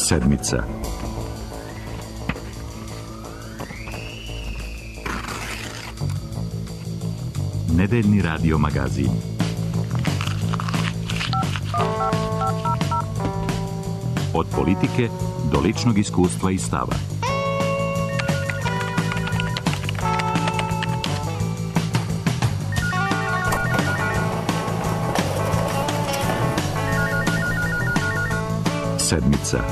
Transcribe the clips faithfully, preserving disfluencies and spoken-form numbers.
Sedmica. Nedeljni radio magazin. Od politike do ličnog iskustva i stava. Sedmica.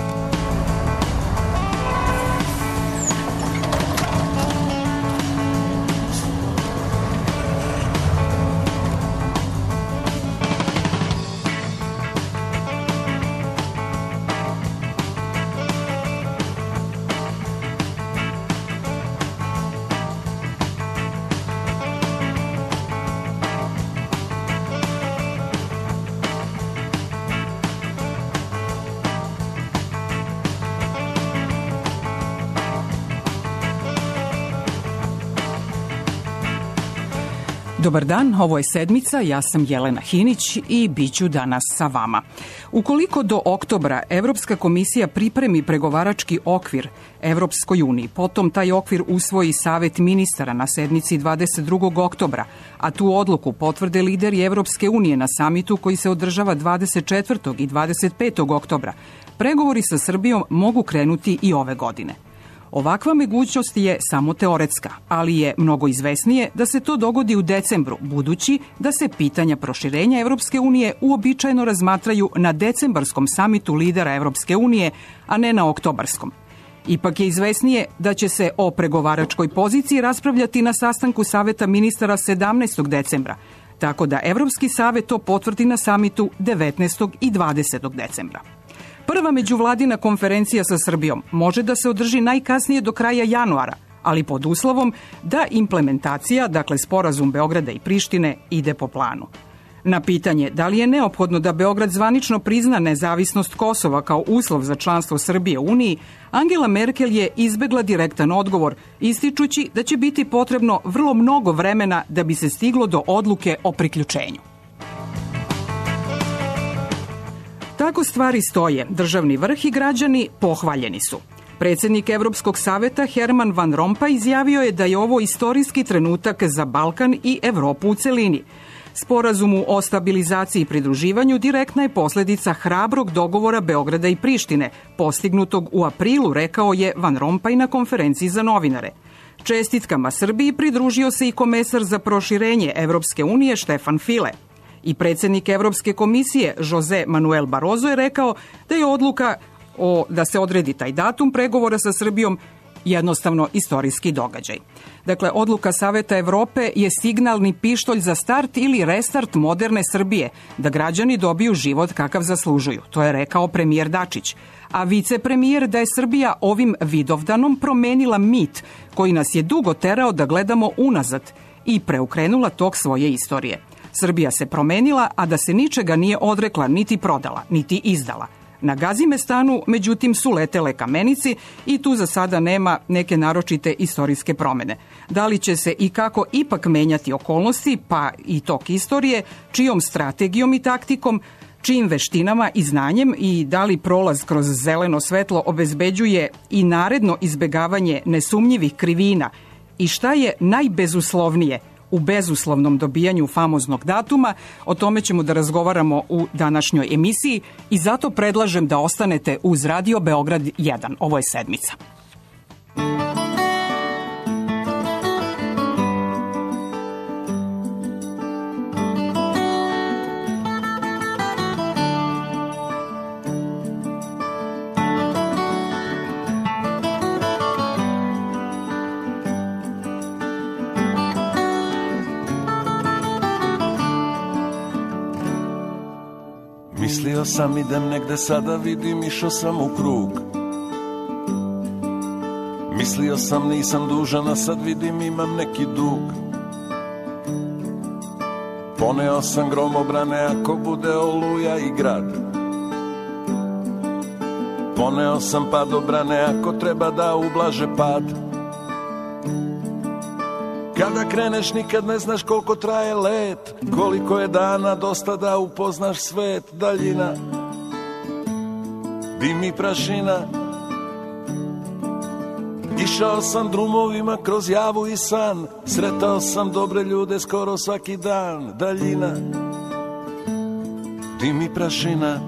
Dobar dan, ovo je Sedmica, ja sam Jelena Hinić i bit ću danas sa vama. Ukoliko do oktobra Evropska komisija pripremi pregovarački okvir Evropskoj uniji, potom taj okvir usvoji Savet ministara na sednici dvadeset drugog oktobra, a tu odluku potvrde lideri Evropske unije na samitu koji se održava dvadeset četvrtog i dvadeset petog oktobra, pregovori sa Srbijom mogu krenuti i ove godine. Ovakva mogućnost je samo teoretska, ali je mnogo izvesnije da se to dogodi u decembru, budući da se pitanja proširenja Evropske unije uobičajeno razmatraju na decembarskom samitu lidera Evropske unije, a ne na oktobarskom. Ipak je izvesnije da će se o pregovaračkoj poziciji raspravljati na sastanku Saveta ministara sedamnaestog decembra, tako da Evropski savet to potvrdi na samitu devetnaestog i dvadesetog decembra. Prva međuvladina konferencija sa Srbijom može da se održi najkasnije do kraja januara, ali pod uslovom da implementacija, dakle sporazum Beograda i Prištine, ide po planu. Na pitanje da li je neophodno da Beograd zvanično prizna nezavisnost Kosova kao uslov za članstvo Srbije u Uniji, Angela Merkel je izbegla direktan odgovor, ističući da će biti potrebno vrlo mnogo vremena da bi se stiglo do odluke o priključenju. Tako stvari stoje, državni vrh i građani pohvaljeni su. Predsjednik Evropskog saveta Herman Van Rompuy izjavio je da je ovo istorijski trenutak za Balkan i Evropu u celini. Sporazumu o stabilizaciji i pridruživanju direktna je posljedica hrabrog dogovora Beograda i Prištine, postignutog u aprilu, rekao je Van Rompuy na konferenciji za novinare. Čestitkama Srbiji pridružio se i komesar za proširenje Evropske unije Štefan File. I predsjednik Evropske komisije Jose Manuel Barroso je rekao da je odluka o, da se odredi taj datum pregovora sa Srbijom jednostavno istorijski događaj. Dakle, odluka Saveta Evrope je signalni pištolj za start ili restart moderne Srbije, da građani dobiju život kakav zaslužuju. To je rekao premijer Dačić. A vicepremijer da je Srbija ovim Vidovdanom promenila mit koji nas je dugo terao da gledamo unazad i preokrenula tok svoje istorije. Srbija se promenila, a da se ničega nije odrekla, niti prodala, niti izdala. Na Gazimestanu, međutim, su letele kamenici i tu za sada nema neke naročite istorijske promene. Da li će se i kako ipak menjati okolnosti, pa i tok istorije, čijom strategijom i taktikom, čijim veštinama i znanjem i da li prolaz kroz zeleno svetlo obezbeđuje i naredno izbegavanje nesumnjivih krivina i šta je najbezuslovnije u bezuslovnom dobijanju famoznog datuma, o tome ćemo da razgovaramo u današnjoj emisiji i zato predlažem da ostanete uz Radio Beograd jedan. Ovo je Sedmica. Mislio sam idem negde, sada vidim išao sam u krug. Mislio sam nisam dužan, a sad vidim imam neki dug. Poneo sam gromobrane ako bude oluja i grad. Poneo sam padobrane ako treba da ublaže pad. Kada kreneš nikad ne znaš koliko traje let, koliko je dana dosta da upoznaš svet, daljina. dim i prašina. Išao sam drumovima kroz javu i san, sretao sam dobre ljude skoro svaki dan. Daljina, dim i prašina.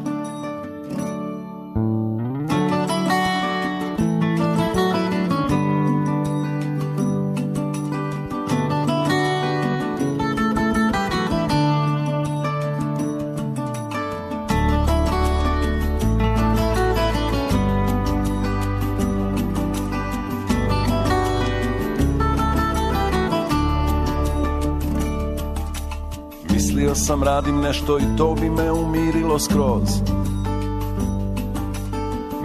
Mislio sam radim nešto i to bi me umirilo skroz.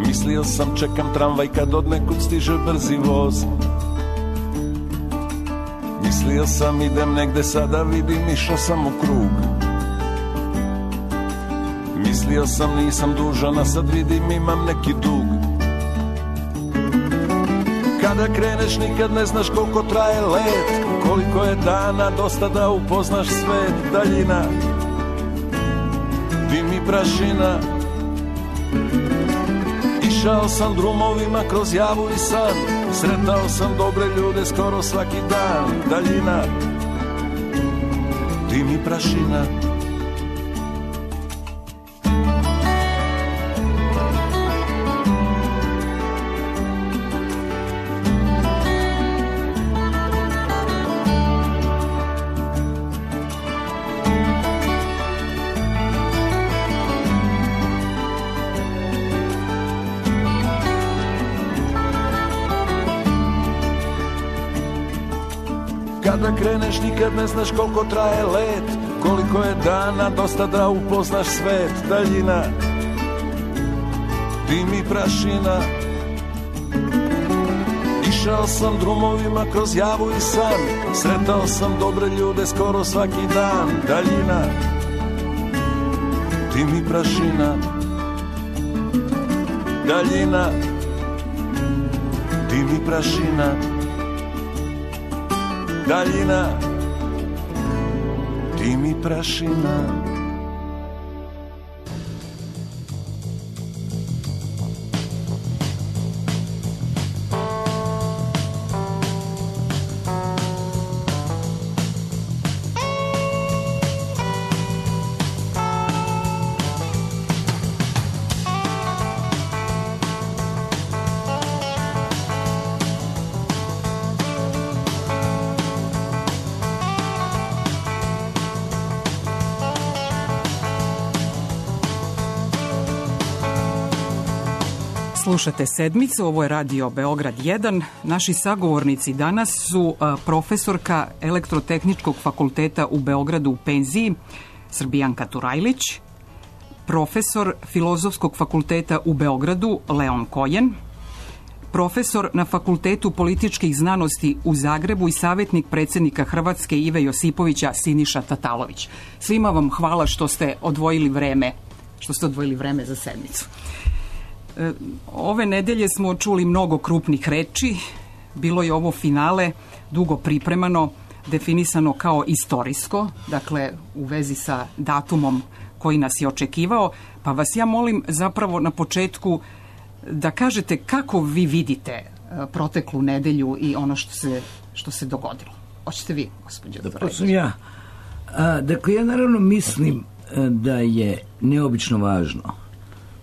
Mislio sam čekam tramvaj kad od nekud stiže brzi voz. Mislio sam idem negde sada vidim išao sam u krug. Mislio sam nisam dužan a sad vidim imam neki dug. Kada kreneš nikad ne znaš koliko traje let, koliko je dana dosta da upoznaš svet. Daljina, dim i prašina. Išao sam drumovima kroz javu i san, sretao sam dobre ljude skoro svaki dan. Daljina, dim i prašina. Kada kreneš nikad ne znaš koliko traje let, koliko je dana dosta da upoznaš svet. Daljina, dim i prašina. Išao sam drumovima kroz javu i san, sretao sam dobre ljude skoro svaki dan. Daljina, dim i prašina. Daljina, dim i prašina. Daljina, dim i prašina. Slušate Sedmicu, ovo je Radio Beograd jedan. Naši sagovornici danas su profesorka Elektrotehničkog fakulteta u Beogradu u penziji, Srbijanka Turajlić, profesor Filozofskog fakulteta u Beogradu, Leon Kojen, profesor na Fakultetu političkih znanosti u Zagrebu i savjetnik predsjednika Hrvatske Ive Josipovića, Siniša Tatalović. Svima vam hvala što ste odvojili vreme, što ste odvojili vreme za Sedmicu. Ove nedelje smo čuli mnogo krupnih reči, bilo je ovo finale dugo pripremano, definisano kao istorijsko, dakle u vezi sa datumom koji nas je očekivao, pa vas ja molim zapravo na početku da kažete kako vi vidite proteklu nedelju i ono što se, što se dogodilo. Hoćete vi, gospođo? Da, pa sam ja. A, dakle, ja naravno mislim da je neobično važno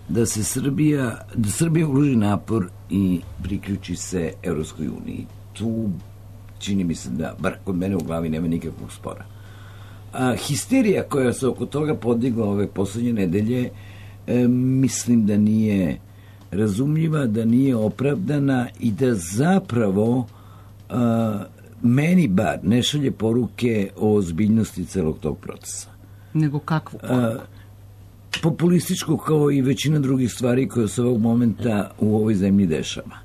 da se Srbija, da Srbija uloži napor i priključi se Evropskoj uniji. Tu čini mi se da, bar kod mene u glavi, nema nikakvog spora. A, histerija koja se oko toga podigla ove poslednje nedelje, e, mislim da nije razumljiva, da nije opravdana i da zapravo a, meni bar ne šalje poruke o ozbiljnosti celog tog procesa. Nego kakvu poruku? Populističko, kao i većina drugih stvari koje se ovog momenta u ovoj zemlji dešava.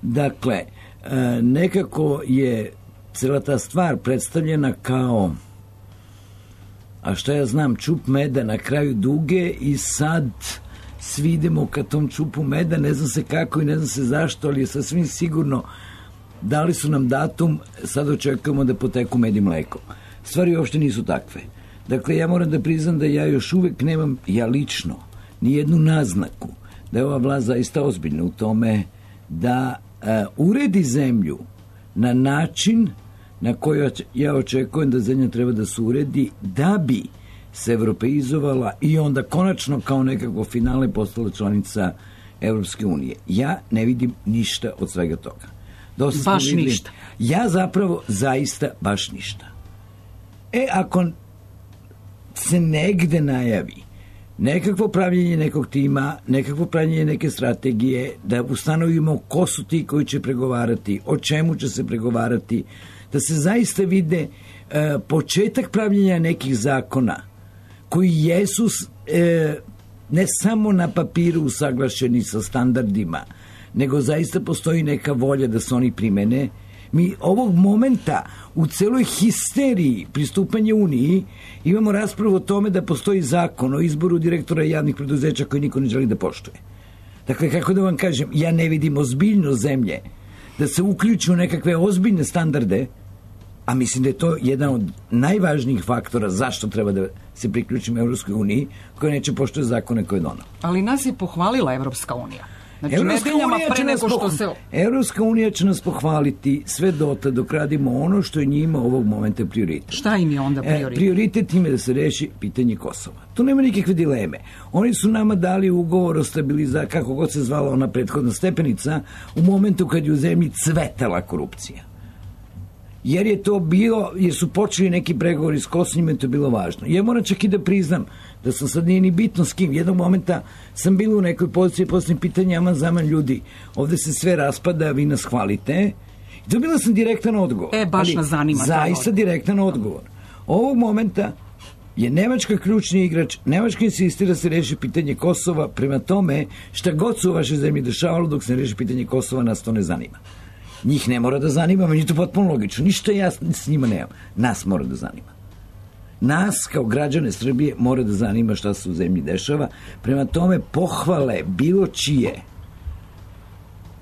Dakle, nekako je cela ta stvar predstavljena kao, a šta ja znam, čup meda na kraju duge i sad svi idemo ka tom čupu meda, ne znam se kako i ne znam se zašto, ali je sasvim sigurno dali su nam datum, sad očekujemo da poteku med i mleko. Stvari uopšte nisu takve. Dakle, ja moram da priznam da ja još uvek nemam, ja lično, nijednu naznaku da je ova vlast zaista ozbiljna u tome da uh, uredi zemlju na način na koji ja očekujem da zemlja treba da se uredi da bi se evropeizovala i onda konačno kao nekako finale postala članica Evropske unije. Ja ne vidim ništa od svega toga. Dosta baš videli, ništa. Ja zapravo zaista baš ništa. E, ako se negde najavi nekakvo pravljenje nekog tima, nekakvo pravljenje neke strategije, da ustanovimo ko su ti koji će pregovarati, o čemu će se pregovarati, da se zaista vide e, početak pravljenja nekih zakona koji jesu e, ne samo na papiru usaglašeni sa standardima, nego zaista postoji neka volja da se oni primene. Mi ovog momenta u celoj histeriji pristupanja Uniji imamo raspravu o tome da postoji zakon o izboru direktora javnih preduzeća koji niko ne želi da poštuje. Dakle, kako da vam kažem, ja ne vidim ozbiljnost zemlje da se uključi u nekakve ozbiljne standarde, a mislim da je to jedan od najvažnijih faktora zašto treba da se priključimo Evropskoj uniji, koja neće poštuje zakone koje je donala. Ali nas je pohvalila Evropska unija. Znači, nedeljama pre nego što se... Evropska unija će nas pohvaliti sve dota dok radimo ono što je njima ovog momenta prioritet. Šta im je onda prioritet? E, prioritet im je da se reši pitanje Kosova. Tu nema nikakve dileme. Oni su nama dali ugovor o stabilizaciji, kako god se zvala ona prethodna stepenica, u momentu kad je u zemlji cvetala korupcija. Jer je to bilo, jer su počeli neki pregovori s Kosovom, je to bilo važno. Ja moram čak i da priznam da sam sad nije ni bitno s kim. Jednog momenta sam bila u nekoj poziciji posljednje pitanja, aman zaman ljudi, ovde se sve raspada, vi nas hvalite. I dobila sam direktan odgovor. E, baš nas zanima. Zaista direktan odgovor. Ovog momenta je Nemačka ključni igrač, Nemačka insistira da se reši pitanje Kosova, prema tome šta god se u vašoj zemlji dešavalo dok se ne reši pitanje Kosova, nas to ne zanima. Njih ne mora da zanima, meni je to potpuno logično. Ništa ja s njima nemam. Nas mora da zanima. Nas, kao građane Srbije, mora da zanima šta se u zemlji dešava. Prema tome, pohvale bilo čije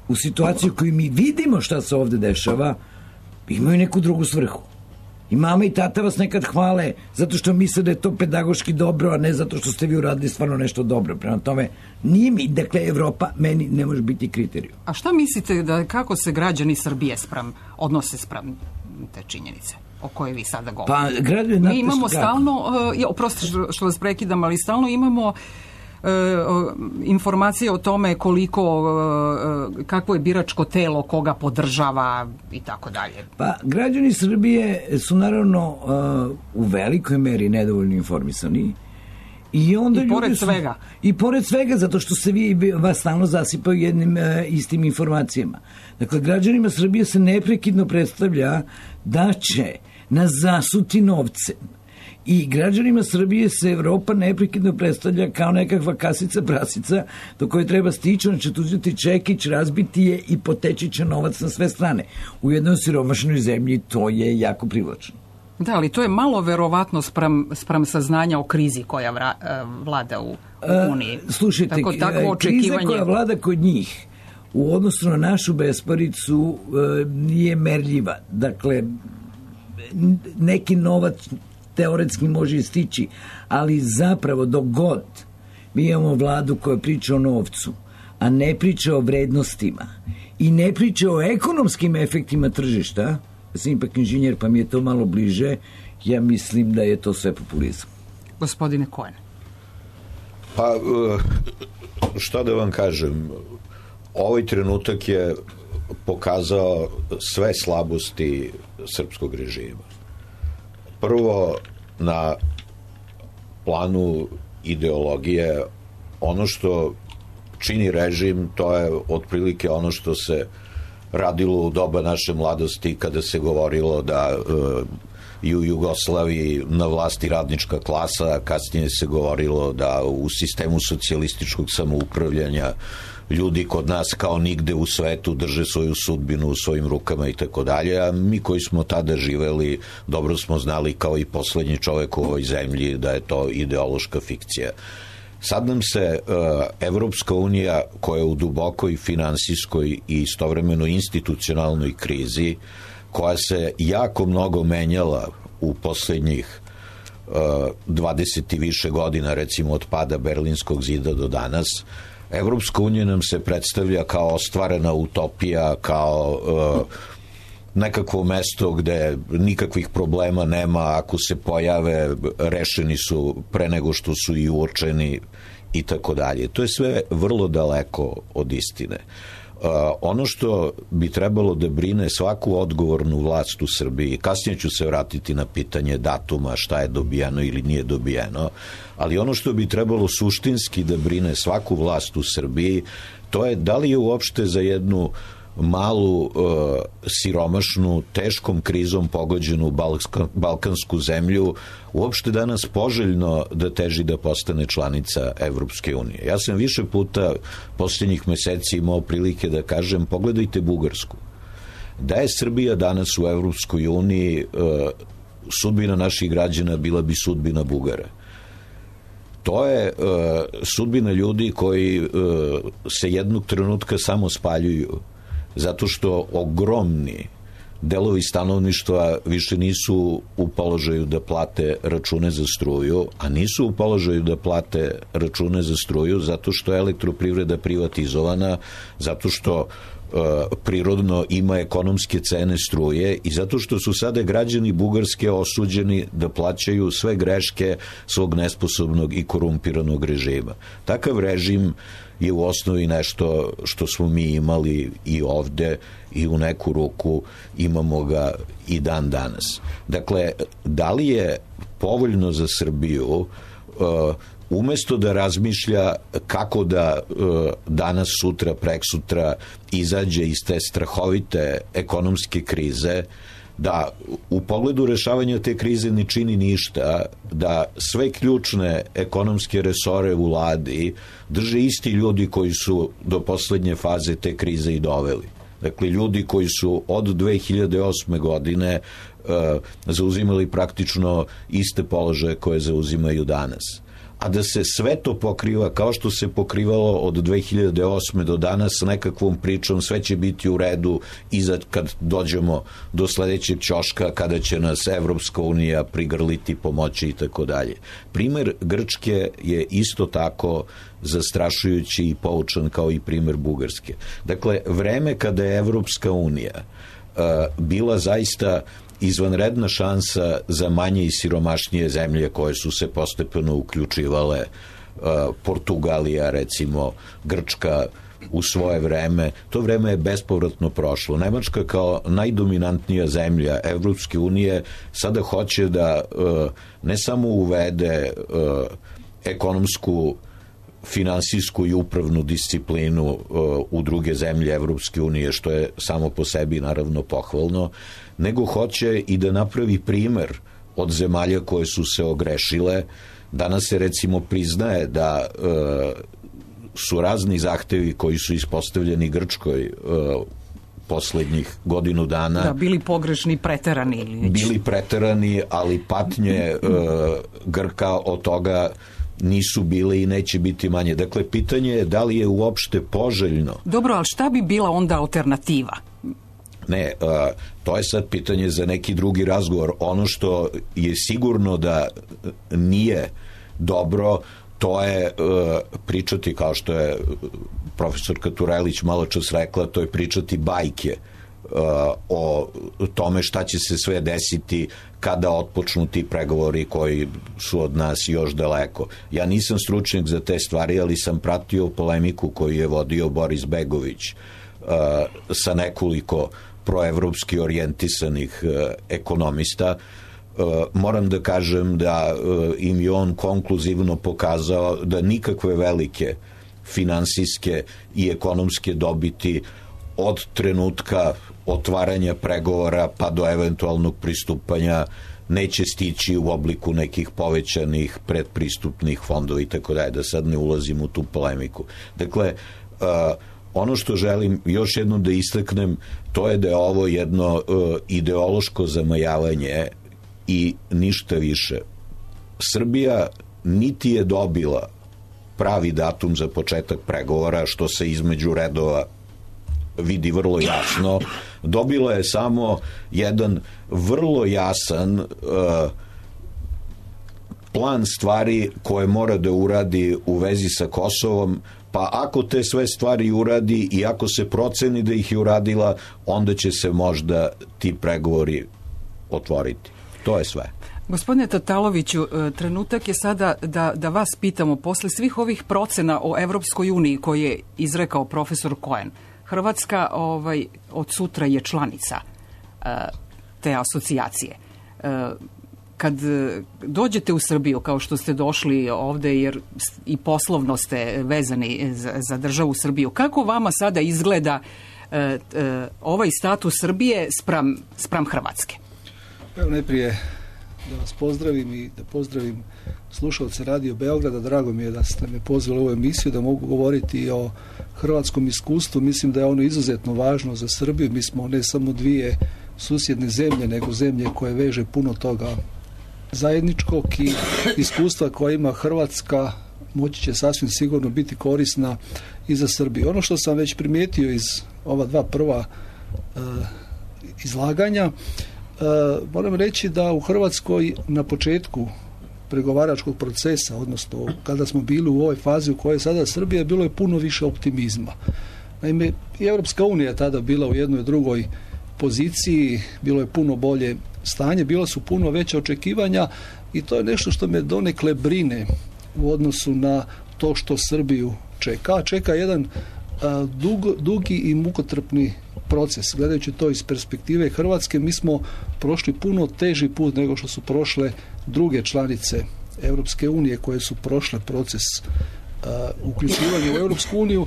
u situaciju koju mi vidimo šta se ovde dešava, imaju neku drugu svrhu. I mama i tata vas nekad hvale zato što misle da je to pedagoški dobro, a ne zato što ste vi uradili stvarno nešto dobro. Prema tome, nije mi, dakle, Evropa meni ne može biti kriterijum. A šta mislite da kako se građani Srbije spram, odnose spram te činjenice o kojoj vi sada govorite? Pa, građani, mi imamo stalno, uh, ja, oprosti što, što vas prekidam, ali stalno imamo uh, informacije o tome koliko, uh, kakvo je biračko telo, koga podržava i tako dalje. Pa, građani Srbije su naravno uh, u velikoj meri nedovoljno informisani. I, onda I pored su, svega. I pored svega, zato što se vi vas stalno zasipaju jednim e, istim informacijama. Dakle, građanima Srbije se neprekidno predstavlja da će nas zasuti novcem. I građanima Srbije se Evropa neprekidno predstavlja kao nekakva kasica prasica do koje treba stići, on će tu uzeti čekić, razbiti je i poteći će novac na sve strane. U jednoj siromašnoj zemlji to je jako privlačno. Da, ali to je malo verovatno sprem, sprem saznanja o krizi koja vra, vlada u, u Uniji. Uh, slušajte, Tako, takvo očekivanje... kriza koja vlada kod njih u odnosu na našu besparicu uh, nije merljiva. Dakle, neki novac teoretski može stići, ali zapravo dok god mi imamo vladu koja priča o novcu, a ne priča o vrednostima i ne priča o ekonomskim efektima tržišta, ja sam ipak inženjer pa mi je to malo bliže, ja mislim da je to sve populizam. Gospodine Cohen. Pa, šta da vam kažem, ovaj trenutak je pokazao sve slabosti srpskog režima. Prvo, na planu ideologije, ono što čini režim, to je otprilike ono što se radilo u doba naše mladosti kada se govorilo da uh, i u Jugoslaviji na vlasti radnička klasa, a kasnije se govorilo da u sistemu socijalističkog samoupravljanja ljudi kod nas kao nigde u svetu drže svoju sudbinu u svojim rukama i tako dalje, a mi koji smo tada živeli dobro smo znali kao i poslednji čovek u ovoj zemlji da je to ideološka fikcija. Sad nam se uh, Evropska unija, koja je u dubokoj finansijskoj i istovremeno institucionalnoj krizi, koja se jako mnogo menjala u poslednjih uh, dvadeset i više godina, recimo od pada Berlinskog zida do danas, Evropska unija nam se predstavlja kao ostvarena utopija, kao uh, nekakvo mesto gde nikakvih problema nema, ako se pojave rešeni su pre nego što su i uočeni i tako dalje. To je sve vrlo daleko od istine. Uh, ono što bi trebalo da brine svaku odgovornu vlast u Srbiji, kasnije ću se vratiti na pitanje datuma, šta je dobijeno ili nije dobijeno, ali ono što bi trebalo suštinski da brine svaku vlast u Srbiji, to je da li je uopšte za jednu malu, uh, siromašnu, teškom krizom pogođenu balska, balkansku zemlju uopšte danas poželjno da teži da postane članica Evropske unije. Ja sam više puta posljednjih meseci imao prilike da kažem, pogledajte Bugarsku. Da je Srbija danas u Evropskoj uniji, uh, sudbina naših građana bila bi sudbina Bugara. To je uh, sudbina ljudi koji uh, se jednog trenutka samo spaljuju, zato što ogromni delovi stanovništva više nisu u položaju da plate račune za struju, a nisu u položaju da plate račune za struju zato što je elektroprivreda privatizovana, zato što uh, prirodno ima ekonomske cene struje i zato što su sada građani Bugarske osuđeni da plaćaju sve greške svog nesposobnog i korumpiranog režima. Takav režim je u osnovi nešto što smo mi imali i ovde i u neku ruku imamo ga i dan danas. Dakle, da li je povoljno za Srbiju uh, umesto da razmišlja kako da uh, danas, sutra, preksutra izađe iz te strahovite ekonomske krize, da u pogledu rešavanja te krize ne čini ništa, da sve ključne ekonomske resore u vladi drže isti ljudi koji su do poslednje faze te krize i doveli. Dakle, ljudi koji su od dve hiljade osme godine uh, zauzimali praktično iste položaje koje zauzimaju danas. A da se sve to pokriva kao što se pokrivalo od dve hiljade osme do danas nekakvom pričom, sve će biti u redu i kad dođemo do sledećeg ćoška kada će nas Evropska unija prigrliti, pomoći i tako dalje. Primer Grčke je isto tako zastrašujući i poučan kao i primer Bugarske. Dakle, vreme kada je Evropska unija uh, bila zaista izvanredna šansa za manje i siromašnije zemlje koje su se postepeno uključivale, uh, Portugalija, recimo, Grčka u svoje vreme, to vreme je bespovratno prošlo. Nemačka kao najdominantnija zemlja Evropske unije sada hoće da uh, ne samo uvede uh, ekonomsku, finansijsku i upravnu disciplinu uh, u druge zemlje Evropske unije, što je samo po sebi naravno pohvalno, nego hoće i da napravi primer od zemalja koje su se ogrešile. Danas se recimo priznaje da uh, su razni zahtevi koji su ispostavljeni Grčkoj uh, poslednjih godinu dana da, bili pogrešni, preterani ili već. Bili preterani, ali patnje uh, Grka od toga nisu bile i neće biti manje. Dakle, pitanje je da li je uopšte poželjno. Dobro, ali šta bi bila onda alternativa? Ne, uh, to je sad pitanje za neki drugi razgovor. Ono što je sigurno da nije dobro, to je uh, pričati, kao što je profesorka Turelić malo čas rekla, to je pričati bajke uh, o tome šta će se sve desiti kada otpočnu ti pregovori koji su od nas još daleko. Ja nisam stručnjak za te stvari, ali sam pratio polemiku koju je vodio Boris Begović uh, sa nekoliko proevropski orijentisanih uh, ekonomista. Uh, moram da kažem da uh, im je on konkluzivno pokazao da nikakve velike finansijske i ekonomske dobiti od trenutka otvaranja pregovora pa do eventualnog pristupanja neće stići u obliku nekih povećanih predpristupnih fondova i tako dalje, da sad ne ulazim u tu polemiku. Dakle, uh, ono što želim još jednom da istaknem, to je da je ovo jedno uh, ideološko zamajavanje i ništa više. Srbija niti je dobila pravi datum za početak pregovora, što se između redova vidi vrlo jasno. Dobila je samo jedan vrlo jasan uh, plan stvari koje mora da uradi u vezi sa Kosovom, pa ako te sve stvari uradi i ako se proceni da ih je uradila, onda će se možda ti pregovori otvoriti. To je sve. Gospodine Tataloviću, trenutak je sada da, da vas pitamo, posle svih ovih procena o Evropskoj uniji koje je izrekao profesor Cohen, Hrvatska ovaj, od sutra je članica uh, te asocijacije. Uh, kad dođete u Srbiju, kao što ste došli ovde, jer i poslovno ste vezani za, za državu Srbiju, kako vama sada izgleda uh, uh, ovaj status Srbije spram, spram Hrvatske? Evo najprije da vas pozdravim i da pozdravim slušalce Radio Beograda. Drago mi je da ste me pozvali u ovu emisiju, da mogu govoriti o hrvatskom iskustvu. Mislim da je ono izuzetno važno za Srbiju. Mi smo ne samo dvije susjedne zemlje, nego zemlje koje veže puno toga zajedničkog i iskustva koja ima Hrvatska moći će sasvim sigurno biti korisna i za Srbiju. Ono što sam već primijetio iz ova dva prva uh, izlaganja, Uh, moram reći da u Hrvatskoj na početku pregovaračkog procesa, odnosno kada smo bili u ovoj fazi u kojoj je sada Srbija, bilo je puno više optimizma. Naime, i Europska unija je tada bila u jednoj drugoj poziciji, bilo je puno bolje stanje, bila su puno veća očekivanja i to je nešto što me donekle brine u odnosu na to što Srbiju čeka. Čeka jedan uh, dug, dugi i mukotrpni proces. Gledajući to iz perspektive Hrvatske, mi smo prošli puno teži put nego što su prošle druge članice Europske unije koje su prošle proces uh, uključivanja u Europsku uniju.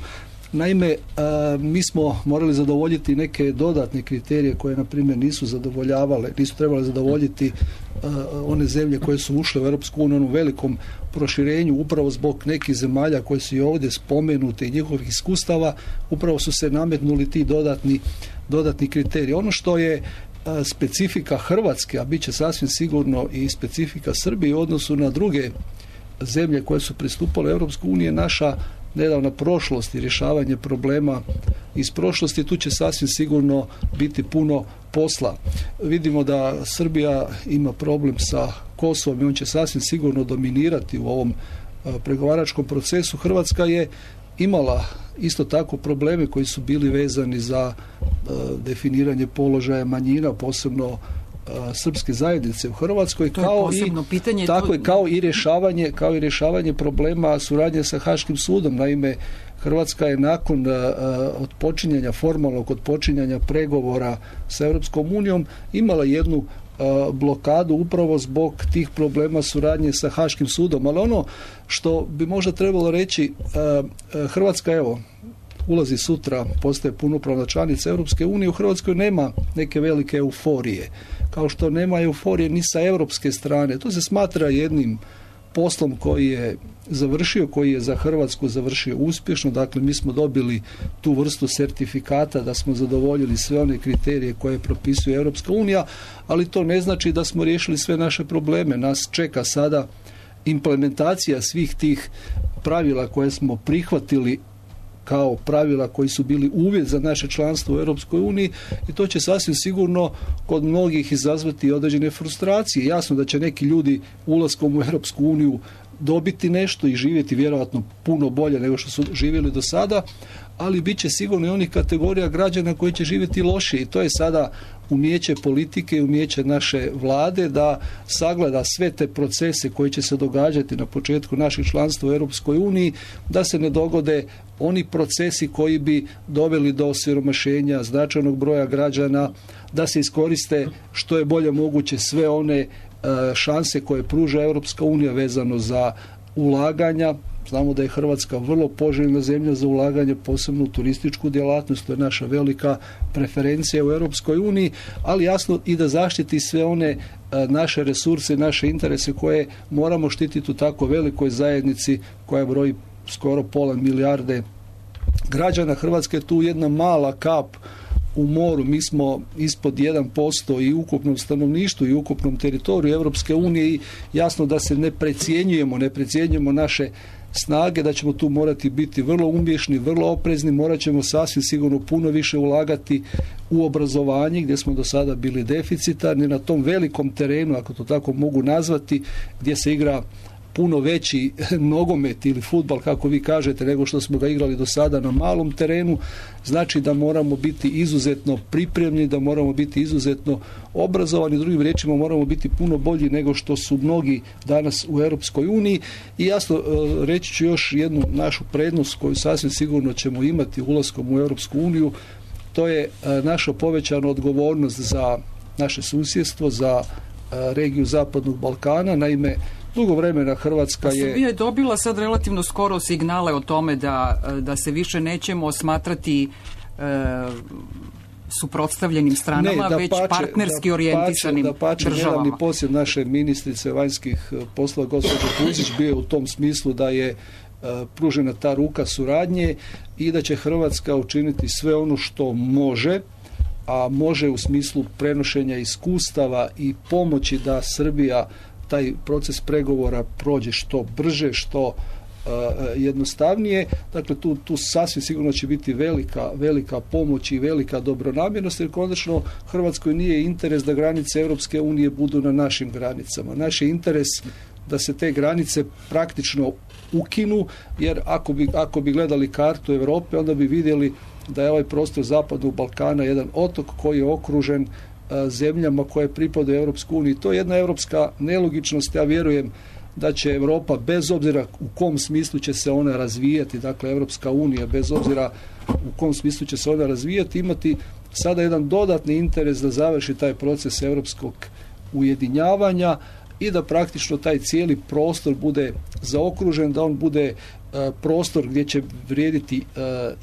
Naime, uh, mi smo morali zadovoljiti neke dodatne kriterije koje, na primjer, nisu zadovoljavale, nisu trebale zadovoljiti uh, one zemlje koje su ušle u Europsku uniju u onom velikom proširenju, upravo zbog nekih zemalja koje su i ovdje spomenute i njihovih iskustava, upravo su se nametnuli ti dodatni, dodatni kriteriji. Ono što je uh, specifika Hrvatske, a bit će sasvim sigurno i specifika Srbije u odnosu na druge zemlje koje su pristupale Europsku uniju, naša nedavna prošlost i rješavanje problema iz prošlosti. Tu će sasvim sigurno biti puno posla. Vidimo da Srbija ima problem sa Kosovom i on će sasvim sigurno dominirati u ovom pregovaračkom procesu. Hrvatska je imala isto tako probleme koji su bili vezani za definiranje položaja manjina, posebno srpske zajednice u Hrvatskoj, kao i pitanje, tako je, kao i rješavanje kao i rješavanje problema suradnje sa Haškim sudom. Naime, Hrvatska je nakon uh, odpočinjanja formalnog odpočinjanja pregovora sa Europskom unijom imala jednu uh, blokadu upravo zbog tih problema suradnje sa Haškim sudom. Ali ono što bi možda trebalo reći, uh, Hrvatska evo ulazi sutra, postaje punopravna članica Europske unije, u Hrvatskoj nema neke velike euforije. Kao što nema euforije ni sa europske strane. To se smatra jednim poslom koji je završio, koji je za Hrvatsku završio uspješno. Dakle, mi smo dobili tu vrstu sertifikata da smo zadovoljili sve one kriterije koje propisuje Europska unija, ali to ne znači da smo riješili sve naše probleme. Nas čeka sada implementacija svih tih pravila koje smo prihvatili kao pravila koji su bili uvjet za naše članstvo u Europskoj uniji i to će sasvim sigurno kod mnogih izazvati određene frustracije. Jasno da će neki ljudi ulaskom u Europsku uniju dobiti nešto i živjeti vjerojatno puno bolje nego što su živjeli do sada, ali bit će sigurno i onih kategorija građana koji će živjeti lošije i to je sada umijeće politike i umijeće naše vlade da sagleda sve te procese koji će se događati na početku našeg članstva u Europskoj uniji, da se ne dogode oni procesi koji bi doveli do osiromašenja značajnog broja građana, da se iskoriste što je bolje moguće sve one šanse koje pruža Europska unija vezano za ulaganja. Znamo da je Hrvatska vrlo poželjna zemlja za ulaganje, posebno u turističku djelatnost, to je naša velika preferencija u Europskoj uniji, ali jasno i da zaštiti sve one naše resurse i naše interese koje moramo štititi u tako velikoj zajednici koja broji skoro pola milijarde građana. Hrvatska je tu jedna mala kap u moru. Mi smo ispod jedan posto i ukupnom stanovništvu i ukupnom teritoriju Europske unije i jasno da se ne precjenjujemo, ne precjenjujemo naše snage, da ćemo tu morati biti vrlo umješni, vrlo oprezni, morat ćemo sasvim sigurno puno više ulagati u obrazovanje gdje smo do sada bili deficitarni, na tom velikom terenu, ako to tako mogu nazvati, gdje se igra puno veći nogomet ili fudbal, kako vi kažete, nego što smo ga igrali do sada na malom terenu, znači da moramo biti izuzetno pripremni, da moramo biti izuzetno obrazovani, drugim riječima moramo biti puno bolji nego što su mnogi danas u Europskoj uniji. I jasno, reći ću još jednu našu prednost koju sasvim sigurno ćemo imati ulaskom u Europsku uniju, to je naša povećana odgovornost za naše susjedstvo, za regiju Zapadnog Balkana. Naime, dugo vremena Hrvatska je... Srbija je dobila sad relativno skoro signale o tome da, da se više nećemo smatrati e, suprotstavljenim stranama, ne, već pače, partnerski da orijentisanim da pače, državama. Nedavni posjet naše ministrice vanjskih poslova gospođe Puzić bio u tom smislu da je pružena ta ruka suradnje i da će Hrvatska učiniti sve ono što može, a može u smislu prenošenja iskustava i pomoći da Srbija taj proces pregovora prođe što brže, što uh, jednostavnije. Dakle, tu, tu sasvim sigurno će biti velika, velika pomoć i velika dobronamjernost, jer konačno Hrvatskoj nije interes da granice Europske unije budu na našim granicama. Naš je interes da se te granice praktično ukinu, jer ako bi, ako bi gledali kartu Europe, onda bi vidjeli da je ovaj prostor Zapadnog Balkana jedan otok koji je okružen zemljama koje pripadaju Europskoj uniji. To je jedna europska nelogičnost. Ja vjerujem da će Europa, bez obzira u kom smislu će se ona razvijati, dakle Europska unija, bez obzira u kom smislu će se ona razvijati, imati sada jedan dodatni interes da završi taj proces europskog ujedinjavanja i da praktično taj cijeli prostor bude zaokružen, da on bude prostor gdje će vrijediti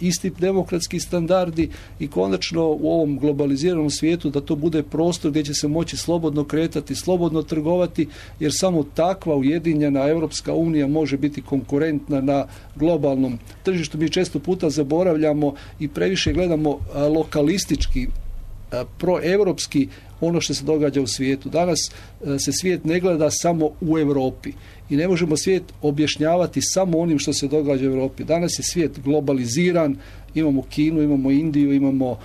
isti demokratski standardi i konačno u ovom globaliziranom svijetu da to bude prostor gdje će se moći slobodno kretati, slobodno trgovati, jer samo takva ujedinjena Europska unija može biti konkurentna na globalnom tržištu. Mi često puta zaboravljamo i previše gledamo lokalistički, proevropski ono što se događa u svijetu. Danas se svijet ne gleda samo u Europi i ne možemo svijet objašnjavati samo onim što se događa u Europi. Danas je svijet globaliziran, imamo Kinu, imamo Indiju, imamo uh,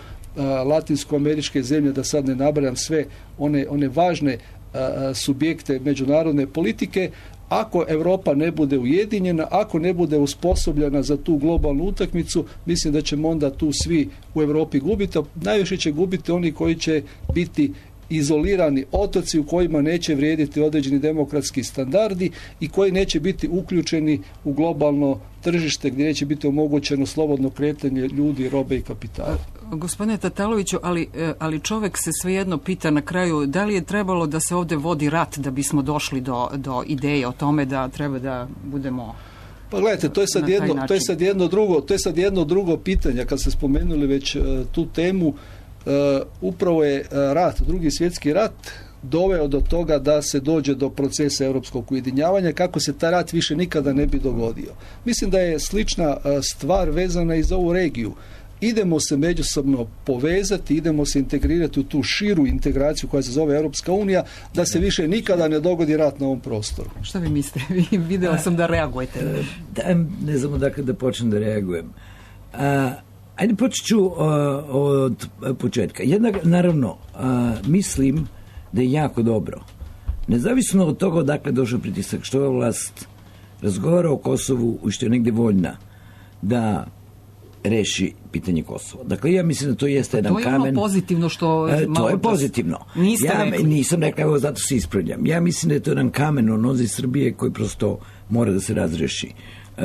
latinsko-američke zemlje, da sad ne nabrajam sve one, one važne uh, subjekte međunarodne politike. Ako Europa ne bude ujedinjena, ako ne bude usposobljena za tu globalnu utakmicu, mislim da ćemo onda tu svi u Europi gubiti, a najviše će gubiti oni koji će biti izolirani otoci u kojima neće vrijediti određeni demokratski standardi i koji neće biti uključeni u globalno tržište gdje neće biti omogućeno slobodno kretanje ljudi, robe i kapitala. Gospodine Tataloviću, ali, ali čovjek se svejedno pita na kraju da li je trebalo da se ovdje vodi rat da bismo došli do, do ideje o tome da treba da budemo... Pa gledajte, to je sad jedno, to je sad jedno drugo, to je sad jedno drugo pitanje. Kad ste spomenuli već uh, tu temu, uh, upravo je uh, rat, drugi svjetski rat doveo do toga da se dođe do procesa europskog ujedinjavanja, kako se taj rat više nikada ne bi dogodio. Mislim da je slična uh, stvar vezana i za ovu regiju. Idemo se međusobno povezati, idemo se integrirati u tu širu integraciju koja se zove Europska unija, da se više nikada ne dogodi rat na ovom prostoru. Šta vi mislite? Vidjela sam da reagujete. Da, ne znam odakle da počnem da reagujem. A, ajde počet ću uh, od početka. Jednak, naravno, uh, mislim da je jako dobro. Nezavisno od toga odakle došao pritisak, što je vlast razgovara o Kosovu i što je negdje voljna da reši pitanje Kosova. Dakle, ja mislim da to jeste jedan kamen. To je ono pozitivno što... E, to je pozitivno. Niste ja rekli. Nisam rekla, evo zato se ispravljam. Ja mislim da je to jedan kamen u nozi Srbije koji prosto mora da se razreši. E,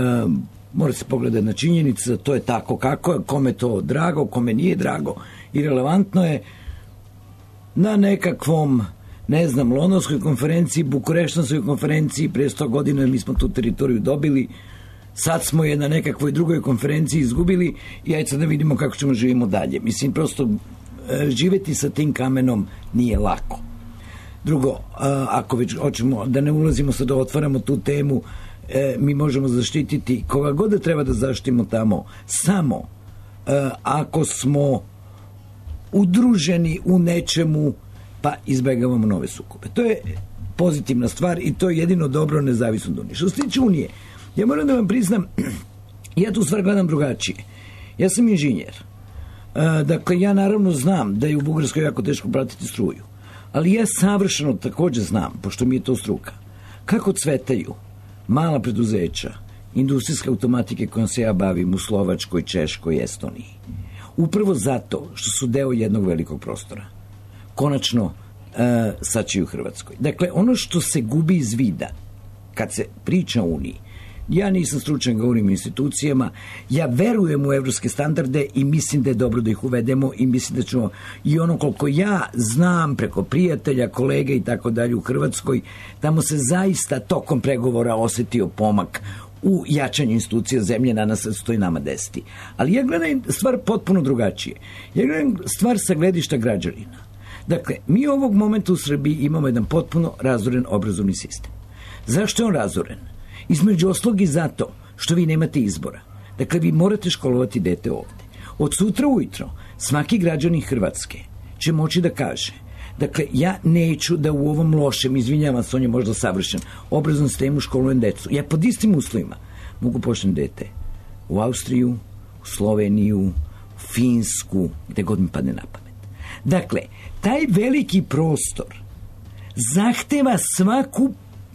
mora se pogledati na činjenicu, to je tako kako je, kome to drago, kome nije drago. I relevantno je na nekakvom, ne znam, Londonskoj konferenciji, Bukureštanskoj konferenciji, prije sto godina mi smo tu teritoriju dobili. Sad smo je na nekakvoj drugoj konferenciji izgubili i ajde sad da vidimo kako ćemo živimo dalje. Mislim, prosto živjeti sa tim kamenom nije lako. Drugo, ako već hoćemo da ne ulazimo sad da otvaramo tu temu, mi možemo zaštititi koga god da treba da zaštitimo tamo samo ako smo udruženi u nečemu pa izbjegavamo nove sukobe. To je pozitivna stvar i to je jedino dobro nezavisno od Unije. Što se tiče Unije, Ja moram da vam priznam, ja tu stvar gledam drugačije. Ja sam inženjer. Dakle, ja naravno znam da je u Bugarskoj jako teško pratiti struju. Ali ja savršeno također znam, pošto mi je to struka, kako cvetaju mala preduzeća, industrijske automatike kojom se ja bavim u Slovačkoj, Češkoj, Estoniji. Upravo zato što su deo jednog velikog prostora. Konačno, e, sad će i u Hrvatskoj. Dakle, ono što se gubi iz vida, kad se priča o Uniji, ja nisam stručan, govorim o institucijama, ja verujem u evropske standarde i mislim da je dobro da ih uvedemo i mislim da ćemo, i ono koliko ja znam preko prijatelja, kolega i tako dalje u Hrvatskoj, tamo se zaista tokom pregovora osetio pomak u jačanju institucija zemlje, na nas stoji nama desiti. Ali ja gledam stvar potpuno drugačije. Ja gledam stvar sa gledišta građanina. Dakle, mi ovog momenta u Srbiji imamo jedan potpuno razoren obrazovni sistem. Zašto je on razoren? Između oslog i zato što vi nemate izbora. Dakle, vi morate školovati dete ovde. Od sutra ujutro svaki građanin Hrvatske će moći da kaže, dakle, ja neću da u ovom lošem, izvinjavam se, on je možda savršen, obrazovnom sistemu školujem decu. Ja pod istim uslovima mogu pošljem dete u Austriju, u Sloveniju, u Finsku, gde god mi padne na pamet. Dakle, taj veliki prostor zahteva svaku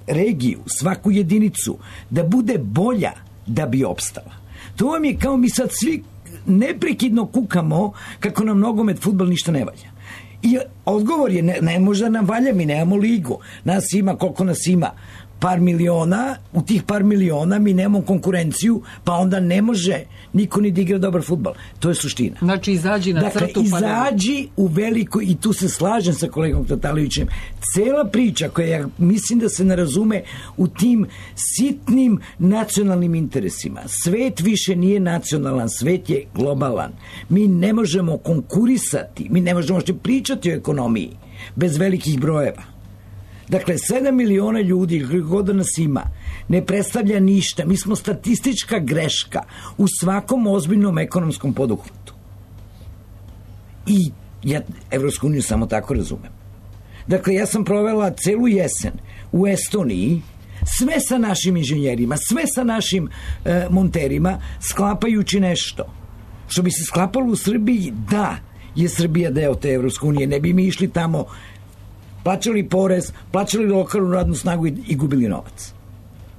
regiju, svaku jedinicu da bude bolja da bi opstala. To vam je kao mi sad svi neprekidno kukamo kako nam nogomet, fudbal ništa ne valja. I odgovor je, ne, ne može da nam valja, mi nemamo ligu. Nas ima, koliko nas ima? Par miliona, u tih par miliona mi nemamo konkurenciju, pa onda ne može niko ni da igra dobar fudbal. To je suština. Znači, izađi na dakle, crtu. Dakle, izađi u veliko, i tu se slažem sa kolegom Tatalovićem, cela priča koja ja mislim da se ne razume u tim sitnim nacionalnim interesima. Svet više nije nacionalan, svet je globalan. Mi ne možemo konkurisati, mi ne možemo što pričati o ekonomiji bez velikih brojeva. Dakle, sedam miliona ljudi, ili god da nas ima, ne predstavlja ništa. Mi smo statistička greška u svakom ozbiljnom ekonomskom poduhvatu. I ja Evropsku uniju samo tako razumem. Dakle, ja sam provela celu jesen u Estoniji, sve sa našim inženjerima, sve sa našim e, monterima, sklapajući nešto. Što bi se sklapalo u Srbiji, da je Srbija deo te Evropske unije, ne bi mi išli tamo, plaćali porez, plaćali lokalnu radnu snagu i, i gubili novac.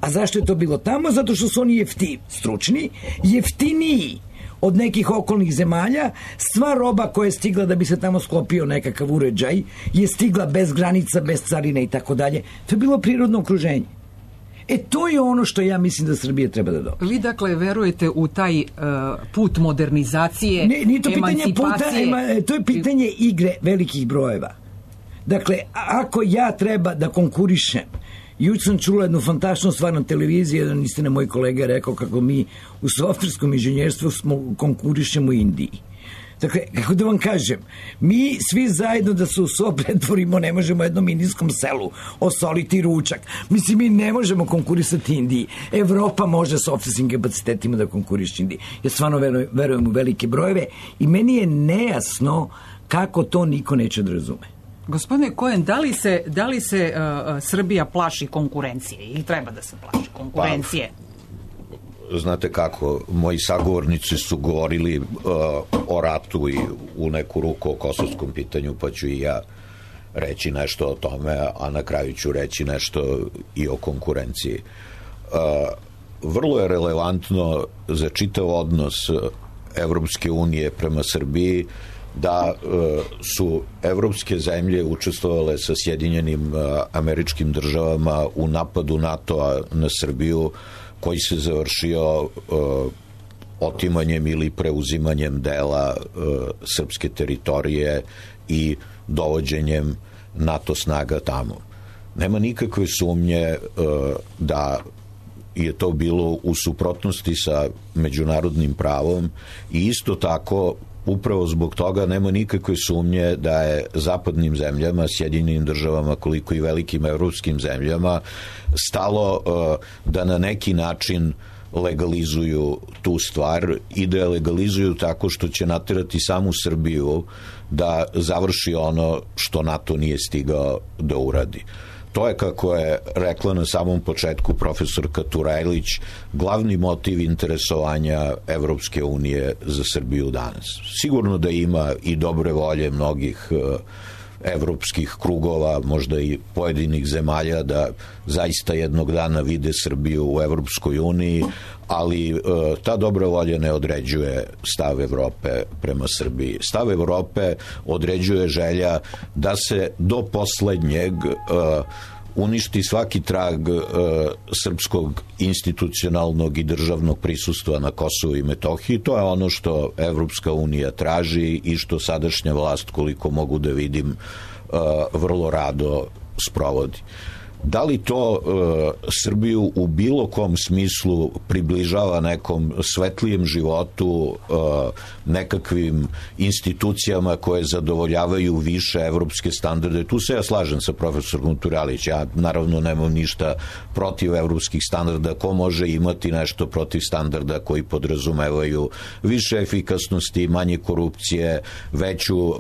A zašto je to bilo tamo? Zato što su oni jeftini, stručni, jeftiniji od nekih okolnih zemalja. Sva roba koja je stigla da bi se tamo sklopio nekakav uređaj je stigla bez granica, bez carine i tako dalje. To je bilo prirodno okruženje. E, to je ono što ja mislim da Srbija treba da dobije. Vi, dakle, verujete u taj uh, put modernizacije, ne, nije to pitanje puta, ema, to je pitanje igre velikih brojeva. Dakle, ako ja treba da konkurišem, juče sam čula jednu fantastičnu stvar na televiziji, jedan istina moj kolega rekao kako mi u softverskom inženjerstvu smo konkurišemo u Indiji. Dakle, kako da vam kažem, mi svi zajedno da se u so pretvorimo, ne možemo jednom indijskom selu osoliti ručak. Mislim, mi ne možemo konkurisati Indiji. Evropa može s softverskim kapacitetima da konkuriše Indiji. Ja stvarno verujem, verujem u velike brojeve i meni je nejasno kako to niko neće da razume. Gospodine Kojen, da li se, da li se uh, Srbija plaši konkurencije ili treba da se plaši konkurencije? Pa, znate kako, moji sagovornici su govorili uh, o ratu i u neku ruku o kosovskom pitanju, pa ću i ja reći nešto o tome, a na kraju ću reći nešto i o konkurenciji. Uh, vrlo je relevantno za čitav odnos Evropske unije prema Srbiji da uh, su evropske zemlje učestvovale sa Sjedinjenim uh, Američkim Državama u napadu NATO-a na Srbiju, koji se završio uh, otimanjem ili preuzimanjem dela uh, srpske teritorije i dovođenjem NATO snaga tamo. Nema nikakve sumnje uh, da je to bilo u suprotnosti sa međunarodnim pravom i isto tako upravo zbog toga nema nikakve sumnje da je zapadnim zemljama, Sjedinjenim Državama, koliko i velikim evropskim zemljama stalo uh, da na neki način legalizuju tu stvar i da je legalizuju tako što će naterati samu Srbiju da završi ono što NATO nije stigao da uradi. To je, kako je rekla na samom početku profesorka Turajlić, glavni motiv interesovanja Evropske unije za Srbiju danas. Sigurno da ima i dobre volje mnogih evropskih krugova, možda i pojedinih zemalja, da zaista jednog dana vide Srbiju u Evropskoj uniji, ali e, ta dobra volja ne određuje stav Evrope prema Srbiji. Stav Evrope određuje želja da se do poslednjeg e, uništi svaki trag e, srpskog institucionalnog i državnog prisustva na Kosovu i Metohiji. To je ono što Evropska unija traži i što sadašnja vlast, koliko mogu da vidim, e, vrlo rado sprovodi. Da li to e, Srbiju u bilo kom smislu približava nekom svetlijem životu, e, nekakvim institucijama koje zadovoljavaju više evropske standarde? Tu se ja slažem sa profesorom Turajlić. Ja naravno nemam ništa protiv evropskih standarda. Ko može imati nešto protiv standarda koji podrazumevaju više efikasnosti, manje korupcije, veću e,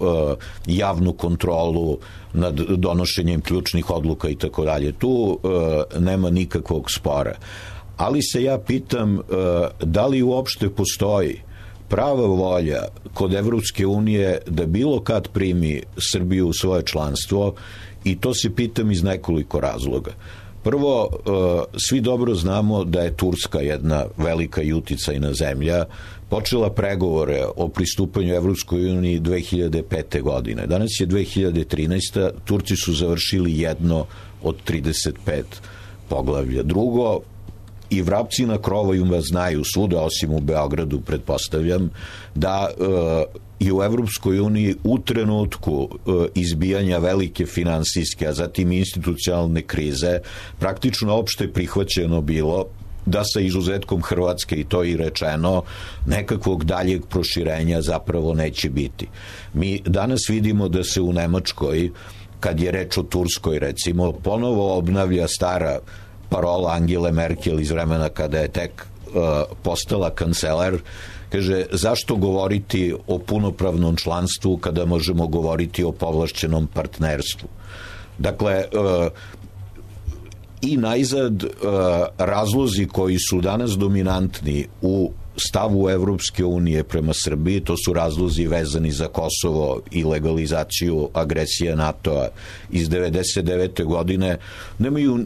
javnu kontrolu nad donošenjem ključnih odluka i tako dalje. Tu e, nema nikakvog spora. Ali se ja pitam e, da li uopšte postoji prava volja kod Evropske unije da bilo kad primi Srbiju u svoje članstvo, i to se pitam iz nekoliko razloga. Prvo, e, svi dobro znamo da je Turska jedna velika i uticajna zemlja, počela pregovore o pristupanju Evropskoj uniji dve hiljade pete. godine. Danas je dve hiljade trinaesta. Turci su završili jedno od trideset pet poglavlja. Drugo, i vrapci na krovovima znaju svuda, osim u Beogradu, pretpostavljam, da e, i u Evropskoj uniji u trenutku e, izbijanja velike finansijske, a zatim institucionalne krize, praktično opšte prihvaćeno bilo da sa izuzetkom Hrvatske, i to i rečeno, nekakvog daljeg proširenja zapravo neće biti. Mi danas vidimo da se u Nemačkoj, kad je reč o Turskoj recimo, ponovo obnavlja stara parola Angele Merkel iz vremena kada je tek uh, postala kancelar. Kaže, zašto govoriti o punopravnom članstvu kada možemo govoriti o povlašćenom partnerstvu? Dakle, uh, i najzad uh, razlozi koji su danas dominantni u stavu Evropske unije prema Srbiji, to su razlozi vezani za Kosovo i legalizaciju agresije NATO-a iz devedeset devete. godine, nemaju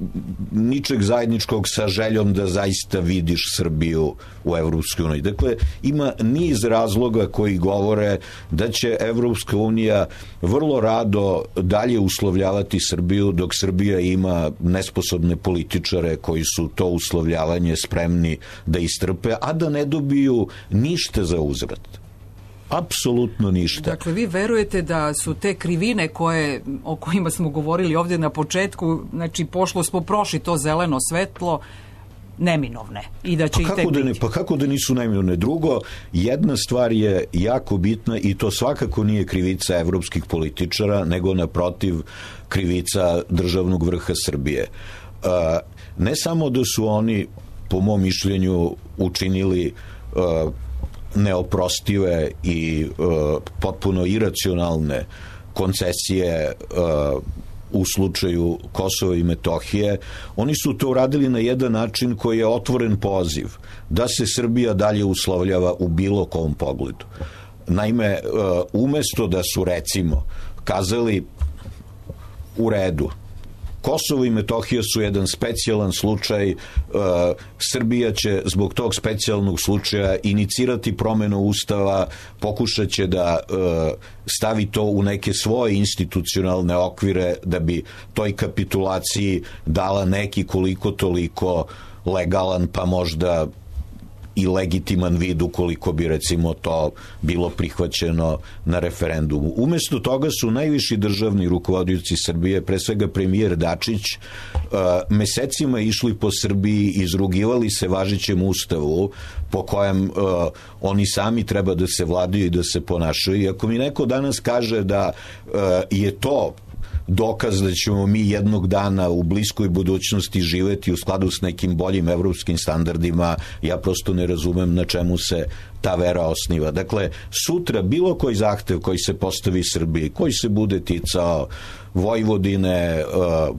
ničeg zajedničkog sa željom da zaista vidiš Srbiju u Evropskoj uniji. Dakle, ima niz razloga koji govore da će Evropska unija vrlo rado dalje uslovljavati Srbiju, dok Srbija ima nesposobne političare koji su to uslovljavanje spremni da istrpe, a da ne dobiju ništa za uzvrat. Apsolutno ništa. Dakle, vi verujete da su te krivine koje, o kojima smo govorili ovdje na početku, znači pošlo smo prošli to zeleno svetlo, neminovne i da će pa ih tek da ne, biti. Pa kako da nisu neminovne? Drugo, jedna stvar je jako bitna i to svakako nije krivica evropskih političara, nego naprotiv krivica državnog vrha Srbije. Uh, ne samo da su oni, po mom mišljenju, učinili uh, neoprostive i uh, potpuno iracionalne koncesije uh, u slučaju Kosova i Metohije, oni su to uradili na jedan način koji je otvoren poziv da se Srbija dalje uslovljava u bilo kom pogledu. Naime, uh, umesto da su, recimo, kazali u redu, Kosovo i Metohija su jedan specijalan slučaj, uh, Srbija će zbog tog specijalnog slučaja inicirati promenu ustava, pokušat će da uh, stavi to u neke svoje institucionalne okvire da bi toj kapitulaciji dala neki koliko toliko legalan, pa možda i legitiman vid ukoliko bi, recimo, to bilo prihvaćeno na referendumu. Umesto toga su najviši državni rukovodioci Srbije, pre svega premijer Dačić, mesecima išli po Srbiji, izrugivali se važećem ustavu po kojem oni sami treba da se vladaju i da se ponašaju. I ako mi neko danas kaže da je to dokaz da ćemo mi jednog dana u bliskoj budućnosti živeti u skladu s nekim boljim evropskim standardima, ja prosto ne razumem na čemu se ta vera osniva. Dakle, sutra bilo koji zahtev koji se postavi Srbiji, koji se bude ticao Vojvodine,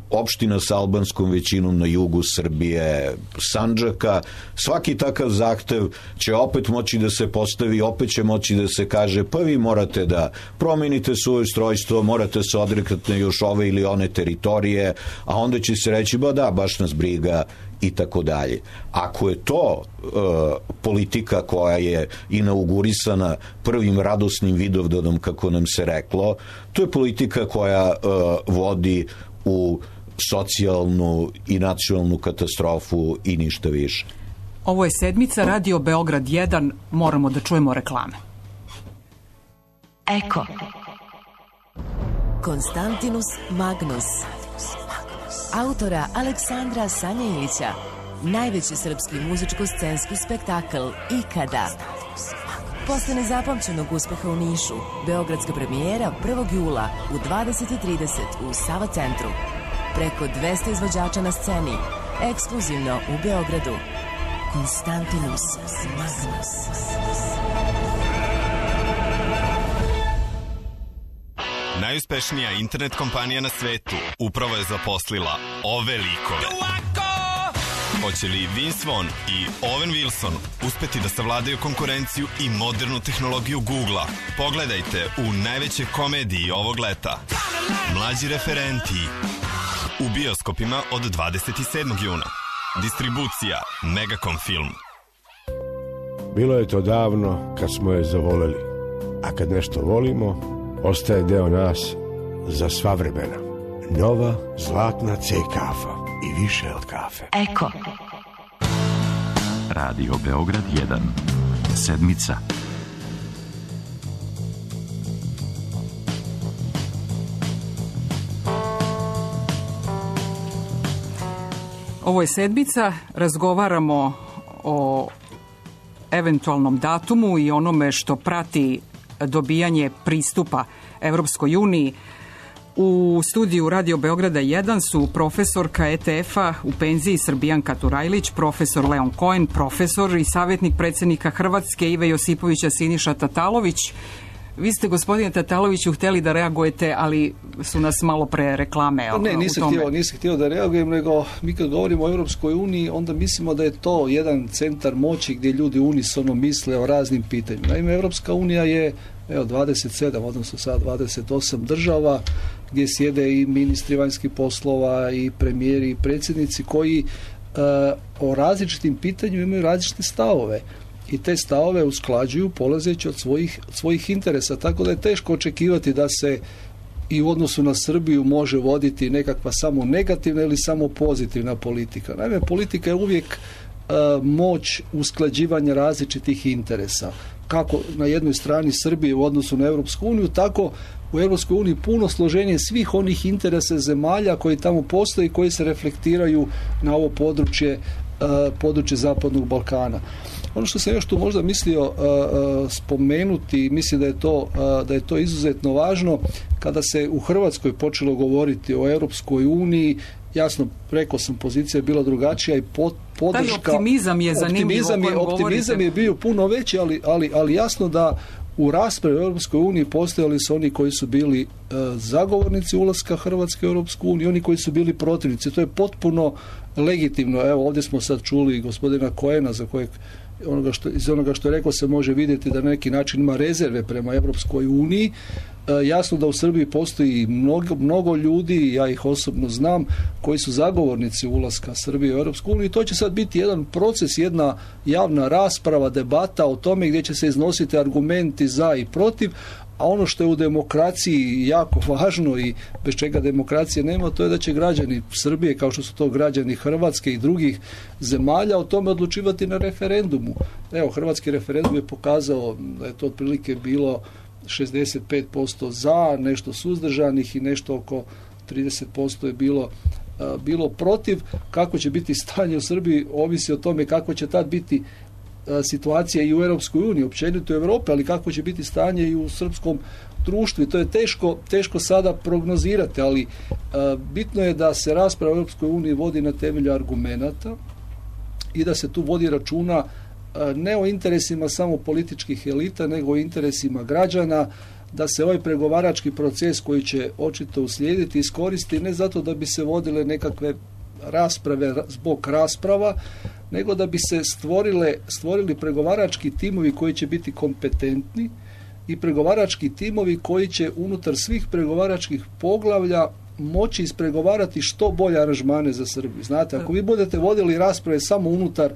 opština sa albanskom većinom na jugu Srbije, Sandžaka, svaki takav zahtev će opet moći da se postavi, opet će moći da se kaže pa vi morate da promenite svoje ustrojstvo, morate se odrekati na još ove ili one teritorije, a onda će se reći ba da, baš nas briga i tako dalje. Ako je to e, politika koja je inaugurisana prvim radosnim Vidovdanom, kako nam se reklo, to je politika koja e, vodi u socijalnu i nacionalnu katastrofu i ništa više. Ovo je sedmica Radio Beograd jedan, moramo da čujemo reklame. Eko. Konstantinus Magnus. Autora Aleksandra Sanjelića, najveći srpski muzičko-scenski spektakl ikada. Posle nezapamćenog uspeha u Nišu, beogradska premijera prvog jula u dvadeset i trideset u Sava centru. Preko dvesta izvođača na sceni, ekskluzivno u Beogradu. Konstantinus Magnus. Najuspešnija internet kompanija na svetu upravo je zaposlila ove likove. Hoće li Vince Vaughn i Owen Wilson uspeti da savladaju konkurenciju i modernu tehnologiju Google-a? Pogledajte u najvećoj komediji ovog leta. Mlađi referenti. U bioskopima od dvadeset sedmog juna. Distribucija Megacom Film. Bilo je to davno kad smo je zavoleli, a kad nešto volimo, ostaje deo nas za sva vremena. Nova zlatna C kafa i više od kafe. Eko. Radio Beograd jedan. Sedmica. Ovo je sedmica, razgovaramo o eventualnom datumu i onome što prati dobijanje pristupa Evropskoj uniji. U studiju Radio Beograda jedan su profesorka E T F-a u penziji Srbijanka Turajlić, profesor Leon Cohen, profesor i savjetnik predsjednika Hrvatske Ive Josipovića Siniša Tatalović. Vi ste, gospodine Tataloviću, hteli da reagujete, ali su nas malo pre reklame o, ne, nisam u tome. Htio, nisam htio da reagujem, nego mi kad govorimo o Europskoj uniji, onda mislimo da je to jedan centar moći gdje ljudi unisono misle o raznim pitanjima. Naime, Europska unija je evo, dvadeset sedam, odnosno sad dvadeset osam država, gdje sjede i ministri vanjskih poslova, i premijeri, i predsjednici, koji uh, o različitim pitanjima imaju različite stavove. I te stavove usklađuju polazeći od svojih, od svojih interesa, tako da je teško očekivati da se i u odnosu na Srbiju može voditi nekakva samo negativna ili samo pozitivna politika. Naime, politika je uvijek uh, moć usklađivanja različitih interesa. Kako na jednoj strani Srbije u odnosu na Europsku uniju, tako u Europskoj uniji puno složenije svih onih interesa zemalja koji tamo postoji, koji se reflektiraju na ovo područje, uh, područje Zapadnog Balkana. Ono što sam još tu možda mislio uh, uh, spomenuti, mislim da je to uh, da je to izuzetno važno, kada se u Hrvatskoj počelo govoriti o Europskoj uniji, jasno, rekao sam, pozicija je bila drugačija i pod, podrška... Taj optimizam je zanimljivo optimizam je, optimizam je bio puno veći, ali, ali, ali jasno da u raspravi u Europskoj uniji postojali su oni koji su bili uh, zagovornici ulaska Hrvatske u Europsku uniju, oni koji su bili protivnici. To je potpuno legitimno. Evo, ovdje smo sad čuli gospodina Cohena, za kojeg onoga što, iz onoga što je rekao se može vidjeti da na neki način ima rezerve prema Europskoj uniji. E, jasno da u Srbiji postoji mnogo, mnogo ljudi, ja ih osobno znam, koji su zagovornici ulaska Srbije u Europsku uniju i to će sad biti jedan proces, jedna javna rasprava, debata o tome gdje će se iznositi argumenti za i protiv, a ono što je u demokraciji jako važno i bez čega demokracije nema, to je da će građani Srbije, kao što su to građani Hrvatske i drugih zemalja, o tome odlučivati na referendumu. Evo, hrvatski referendum je pokazao da je to otprilike bilo šezdeset pet posto za, nešto suzdržanih i nešto oko trideset posto je bilo bilo protiv. Kako će biti stanje u Srbiji ovisi o tome kako će tad biti situacija i u Europskoj uniji, općenito u Europi, ali kako će biti stanje i u srpskom društvu. I to je teško, teško sada prognozirati, ali a, bitno je da se rasprava u Europskoj uniji vodi na temelju argumenata i da se tu vodi računa ne o interesima samo političkih elita, nego o interesima građana, da se ovaj pregovarački proces koji će očito uslijediti iskoristi ne zato da bi se vodile nekakve rasprave zbog rasprava, nego da bi se stvorile, stvorili pregovarački timovi koji će biti kompetentni i pregovarački timovi koji će unutar svih pregovaračkih poglavlja moći ispregovarati što bolje aranžmane za Srbiju. Znate, ako vi budete vodili rasprave samo unutar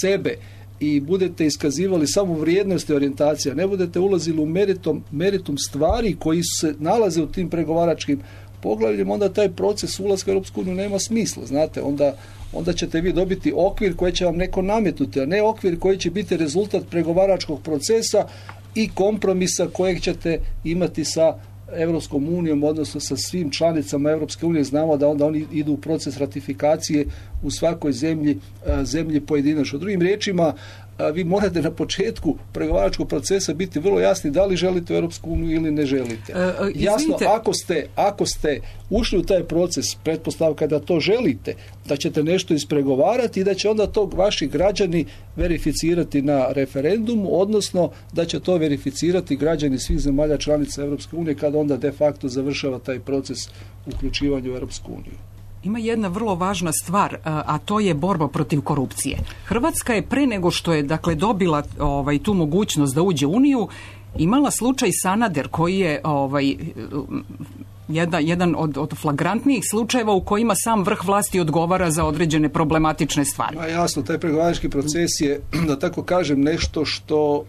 sebe i budete iskazivali samo vrijednosti orijentacija, ne budete ulazili u meritum, meritum stvari koji se nalaze u tim pregovaračkim poglavljima, onda taj proces ulaska u Europsku uniju nema smisla. Znate, onda, onda ćete vi dobiti okvir koji će vam neko nametnuti, a ne okvir koji će biti rezultat pregovaračkog procesa i kompromisa kojeg ćete imati sa Europskom unijom, odnosno sa svim članicama Europske unije. Znamo da onda oni idu u proces ratifikacije u svakoj zemlji, zemlji pojedinačno. Drugim riječima, vi morate na početku pregovaračkog procesa biti vrlo jasni da li želite u Europsku uniju ili ne želite. E, Jasno, ako ste, ako ste ušli u taj proces, pretpostavka da to želite, da ćete nešto ispregovarati i da će onda to vaši građani verificirati na referendumu, odnosno da će to verificirati građani svih zemalja članica Europske unije kada onda de facto završava taj proces uključivanja u Europsku uniju. Ima jedna vrlo važna stvar, a to je borba protiv korupcije. Hrvatska je pre nego što je dakle dobila ovaj tu mogućnost da uđe u Uniju, imala slučaj Sanader koji je ovaj jedan, jedan od, od flagrantnijih slučajeva u kojima sam vrh vlasti odgovara za određene problematične stvari. Ma jasno, taj pregovarački proces je, da tako kažem, nešto što uh,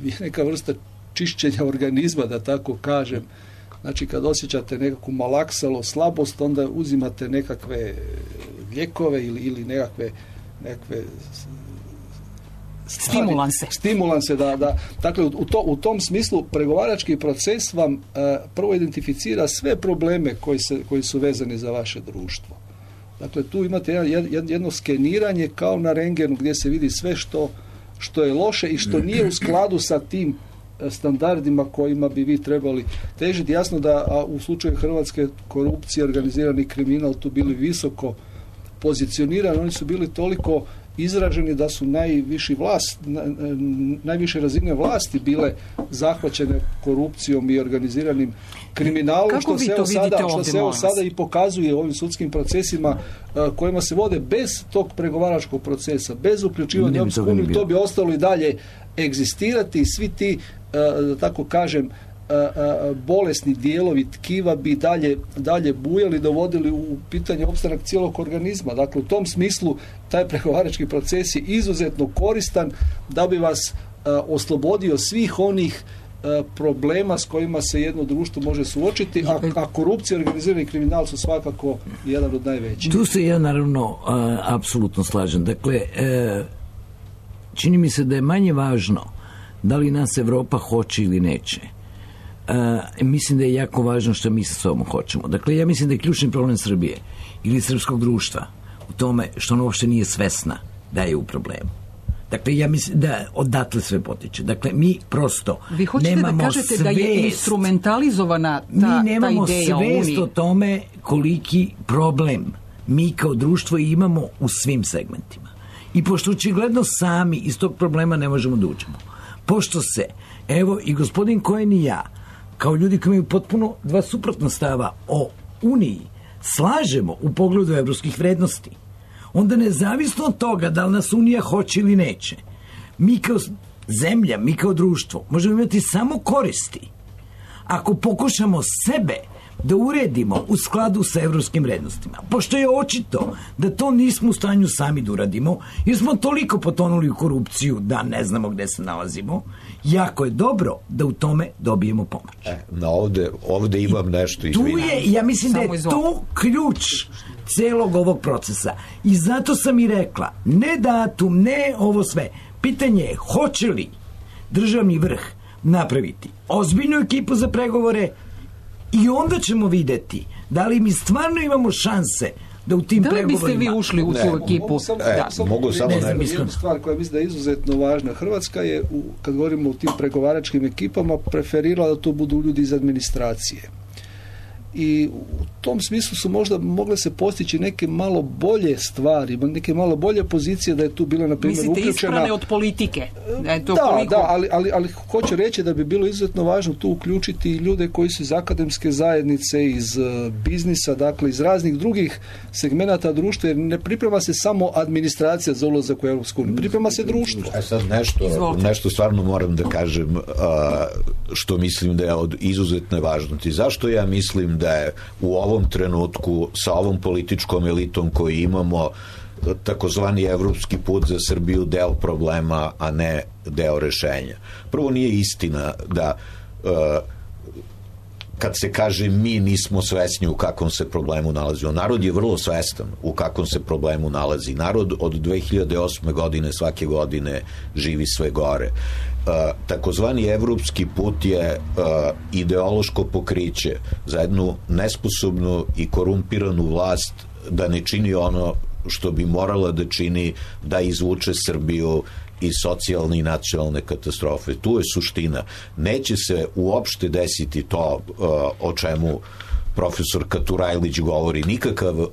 je neka vrsta čišćenja organizma, da tako kažem. Znači, kad osjećate nekakvu malaksalo, slabost, onda uzimate nekakve lijekove ili, ili nekakve, nekakve stvari, stimulanse. Stimulanse, da, da. Dakle, u, to, u tom smislu pregovarački proces vam uh, prvo identificira sve probleme koji, se, koji su vezani za vaše društvo. Dakle, tu imate jedno, jedno skeniranje kao na rengenu gdje se vidi sve što, što je loše i što nije u skladu sa tim standardima kojima bi vi trebali težiti. Jasno da a u slučaju Hrvatske korupcija, organizirani kriminal tu bili visoko pozicionirani, oni su bili toliko izraženi da su najviši vlast, najviše razine vlasti bile zahvaćene korupcijom i organiziranim kriminalom. Kako što vi se to sada, vidite što ovdje, se evo molim sada vas? i pokazuje u ovim sudskim procesima uh, kojima se vode bez tog pregovaračkog procesa, bez uključivanja Ne bi Europsku toga ni uniju, bilo. to bi ostalo i dalje egzistirati i svi ti, uh, da tako kažem, uh, uh, bolesni dijelovi tkiva bi dalje, dalje bujali, dovodili u pitanje opstanak cijelog organizma. Dakle, u tom smislu taj pregovarački proces je izuzetno koristan da bi vas uh, oslobodio svih onih uh, problema s kojima se jedno društvo može suočiti, a, a korupcija i organizirani kriminal su svakako jedan od najvećih. Tu se ja naravno uh, apsolutno slažem. Dakle, uh, čini mi se da je manje važno da li nas Evropa hoće ili neće. Uh, mislim da je jako važno što mi sa sobom hoćemo. Dakle, ja mislim da je ključni problem Srbije ili srpskog društva u tome što ono uopšte nije svesna da je u problemu. Dakle, ja mislim da odatle sve potiče. Dakle, mi prosto Vi hoćete nemamo da kažete svest, da je instrumentalizovana ta, mi nemamo ta ideja o svest Uniji? o tome koliki problem mi kao društvo imamo u svim segmentima. I pošto očigledno sami iz tog problema ne možemo da uđemo. Pošto se, evo i gospodin Cohen i ja, kao ljudi koji imaju potpuno dva suprotna stava o Uniji, slažemo u pogledu evropskih vrednosti, onda nezavisno od toga da li nas Unija hoće ili neće, mi kao zemlja, mi kao društvo možemo imati samo koristi ako pokušamo sebe da uredimo u skladu sa evropskim vrednostima. Pošto je očito da to nismo u stanju sami da uradimo, jer smo toliko potonuli u korupciju da ne znamo gde se nalazimo, jako je dobro da u tome dobijemo pomoć. E, na ovde, ovde imam I nešto tu izvinjam. je, ja mislim Samo da je izvoli. to ključ celog ovog procesa. I zato sam i rekla, ne datum, ne ovo sve. Pitanje je, hoće li državni vrh napraviti ozbiljnu ekipu za pregovore i onda ćemo videti da li mi stvarno imamo šanse da u tim Da li pregovorima... biste vi ušli u tu Ne, ekipu? Mogu samo, E, samo, mogu samo ne, ne- znam, jednu stvar koja mislim da je izuzetno važna. Hrvatska je, u, kad govorimo o tim pregovaračkim ekipama, preferirala da to budu ljudi iz administracije. i u tom smislu su možda mogle se postići neke malo bolje stvari, neke malo bolje pozicije da je tu bila, na primjer, uključena... Mislite isprane od politike? Da, je to da, koliko... da ali, ali, ali hoću reći da bi bilo izuzetno važno tu uključiti ljude koji su iz akademske zajednice, iz uh, biznisa, dakle iz raznih drugih segmenata društva, jer ne priprema se samo administracija za ulazak u Europsku uniju, priprema se društvo. E sad nešto, nešto stvarno moram da kažem, uh, što mislim da je od izuzetne važnosti. Zašto ja mislim da je u ovom trenutku sa ovom političkom elitom koju imamo takozvani evropski put za Srbiju deo problema, a ne deo rešenja? Prvo, nije istina da uh, kad se kaže mi nismo svesni u kakvom se problemu nalazimo. Narod je vrlo svestan u kakvom se problemu nalazi. Narod od dve hiljade osme godine svake godine živi sve gore. Uh, takozvani evropski put je uh, ideološko pokriće za jednu nesposobnu i korumpiranu vlast da ne čini ono što bi morala da čini, da izvuče Srbiju iz socijalne i nacionalne katastrofe. Tu je suština. Neće se uopšte desiti to uh, o čemu profesor Katurajlić govori. Nikakav uh,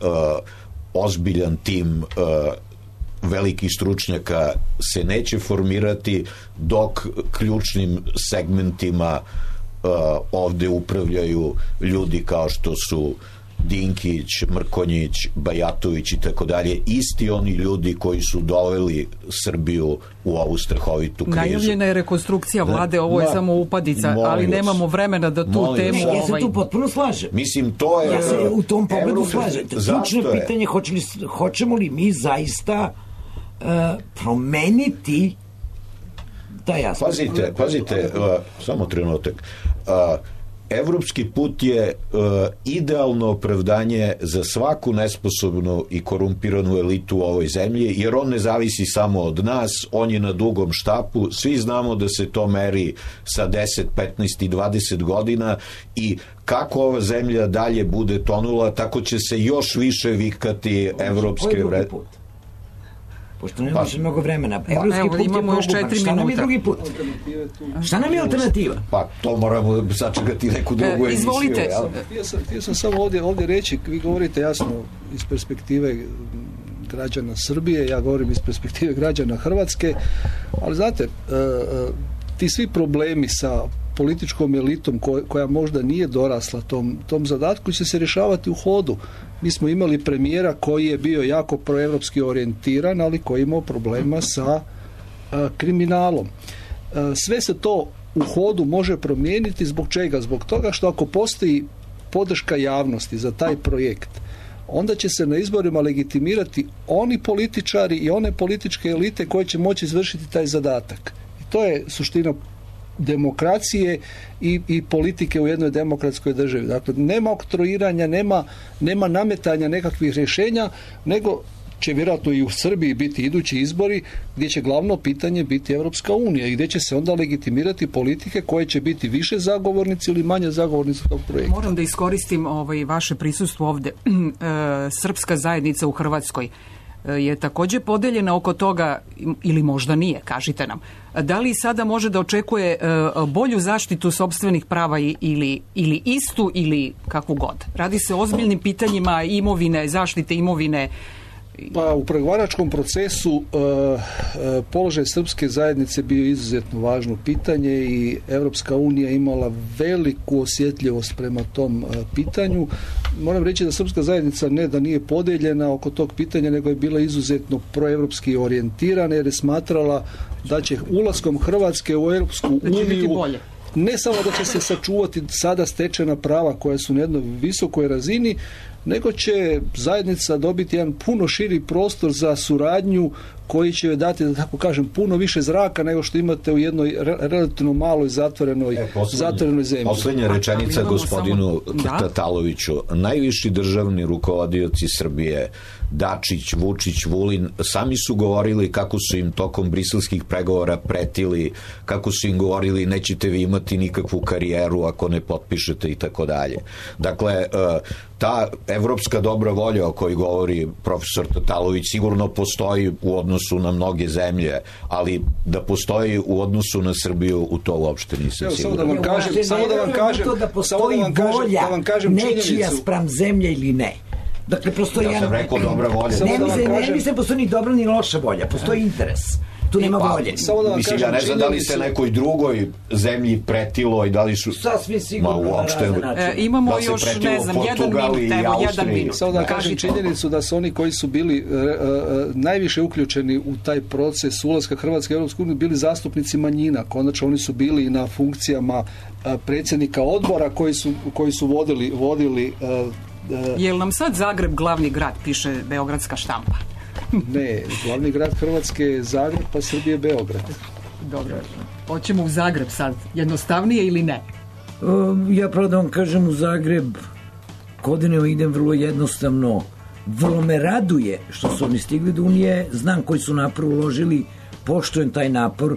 ozbiljan tim uh, velikih stručnjaka se neće formirati dok ključnim segmentima uh, ovde upravljaju ljudi kao što su Dinkić, Mrkonjić, Bajatović i tako dalje, isti oni ljudi koji su doveli Srbiju u ovu strahovitu krizu. Najavljena je rekonstrukcija vlade, ovo je Ma, samo upadica, ali nemamo vremena da tu temu... Ja se tu potpuno slažem. Mislim, to je... Ja se u tom pogledu slažem. Ključno pitanje, hoće li, hoćemo li mi zaista uh, promeniti taj aspekt? Pazite, pazite, uh, samo trenutak. Uh, Evropski put je uh, idealno opravdanje za svaku nesposobnu i korumpiranu elitu u ovoj zemlji, jer on ne zavisi samo od nas, on je na dugom štapu, svi znamo da se to meri sa deset, petnaest i dvadeset godina i kako ova zemlja dalje bude tonula, tako će se još više vikati evropske vrednosti. Pošto nema više mnogo vremena. Evropski evo, put je imamo još četiri Šta nam je minuta. drugi put? Šta nam je alternativa? Pa to moramo sačekati neku drugu e, emisiju. Izvolite. Htio sam, htio sam samo ovdje, ovdje reći, vi govorite jasno iz perspektive građana Srbije, ja govorim iz perspektive građana Hrvatske, ali znate, ti svi problemi sa političkom elitom koja možda nije dorasla tom, tom zadatku će se rješavati u hodu. Mi smo imali premijera koji je bio jako proevropski orijentiran, ali koji je imao problema sa a, kriminalom. A, sve se to u hodu može promijeniti. Zbog čega? Zbog toga što ako postoji podrška javnosti za taj projekt, onda će se na izborima legitimirati oni političari i one političke elite koje će moći izvršiti taj zadatak. I to je suština demokracije i, i politike u jednoj demokratskoj državi. Dakle, nema oktroiranja, nema, nema nametanja nekakvih rješenja, nego će vjerojatno i u Srbiji biti idući izbori gdje će glavno pitanje biti Evropska unija i gdje će se onda legitimirati politike koje će biti više zagovornici ili manje zagovornici tog projekta. Moram da iskoristim ovaj, vaše prisustvo ovde. Srpska zajednica u Hrvatskoj je također podeljena oko toga, ili možda nije, kažite nam. Da li sada može da očekuje bolju zaštitu sopstvenih prava ili, ili istu ili kakvu god? Radi se o ozbiljnim pitanjima imovine, zaštite imovine. Pa u pregovaračkom procesu uh, uh, položaj srpske zajednice bio izuzetno važno pitanje i Evropska unija imala veliku osjetljivost prema tom uh, pitanju. Moram reći da srpska zajednica ne da nije podeljena oko tog pitanja, nego je bila izuzetno proevropski orijentirana jer je smatrala da će ulaskom Hrvatske u Europsku uniju ne samo da će se sačuvati sada stečena prava koja su na jednoj visokoj razini, nego će zajednica dobiti jedan puno širi prostor za suradnju koji će joj dati, da tako kažem, puno više zraka nego što imate u jednoj re, relativno maloj zatvorenoj, e, zatvorenoj zemlji. Poslednja rečenica gospodinu samo... Tataloviću. Najviši državni rukovodioci Srbije, Dačić, Vučić, Vulin, sami su govorili kako su im tokom briselskih pregovora pretili, kako su im govorili nećete vi imati nikakvu karijeru ako ne potpišete i tako dalje. Dakle, ta evropska dobra volja o kojoj govori profesor Tatalović sigurno postoji u odnosu na mnoge zemlje, ali da postoji u odnosu na Srbiju, u to uopšte nisam Evo, siguran. Samo da vam kažem, samo da vam kažem, to da postoji volja da vam kažem nečija spram zemlje ili ne. Dakle, postoji... Ja sam rekao dobra volja. Ne mislim, ne mislim postoji ni dobra ni loša volja, postoji interes. Tu nema pa, volje. Da mislim, ja ne znam da li se nekoj drugoj zemlji pretilo i da li su... Sasvim sigurno Ma, uopšte, na e, imamo da još, ne znam, jedan minut, evo, jedan minut. Samo da kažem činjenicu da su oni koji su bili uh, uh, najviše uključeni u taj proces ulaska Hrvatske u Europsku uniju bili zastupnici manjina. Konačno oni su bili na funkcijama uh, predsjednika odbora koji su, koji su vodili... vodili uh, uh, Je li nam sad Zagreb glavni grad, piše beogradska štampa? Ne, glavni grad Hrvatske je Zagreb, pa Srbije Beograd. Dobro, hoćemo u Zagreb sad, jednostavnije ili ne? Um, ja pravo da vam kažem u Zagreb godine idem vrlo jednostavno, vrlo me raduje što su oni stigli do Unije, znam koji su napor uložili, poštujem taj napor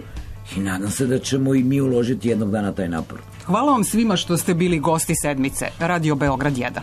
i nadam se da ćemo i mi uložiti jednog dana taj napor. Hvala vam svima što ste bili gosti sedmice Radio Beograd jedan.